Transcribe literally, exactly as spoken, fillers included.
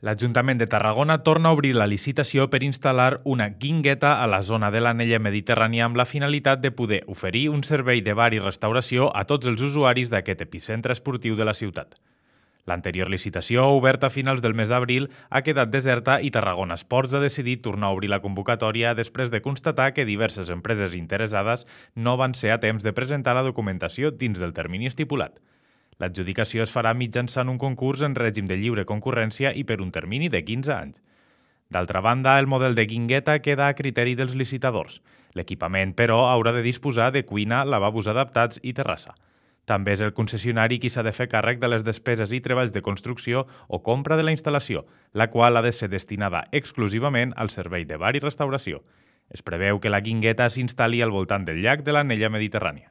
L'Ajuntament de Tarragona torna a obrir la licitació per instal·lar una guingueta a la zona de l'anella mediterrània amb la finalitat de poder oferir un servei de bar i restauració a tots els usuaris d'aquest epicentre esportiu de la ciutat. L'anterior licitació, oberta a finals del mes d'abril, ha quedat deserta i Tarragona Esports ha decidit tornar a obrir la convocatòria després de constatar que diverses empreses interessades no van ser a temps de presentar la documentació dins del termini estipulat. L'adjudicació es farà mitjançant un concurs en règim de lliure concurrència i per un termini de quinze anys. D'altra banda, el model de guingueta queda a criteri dels licitadors. L'equipament, però, haurà de disposar de cuina, lavabos adaptats i terrassa. També és el concessionari qui s'ha de fer càrrec de les despeses i treballs de construcció o compra de la instal·lació, la qual ha de ser destinada exclusivament al servei de bar i restauració. Es preveu que la guingueta s'instal·li al voltant del llac de l'anella mediterrània.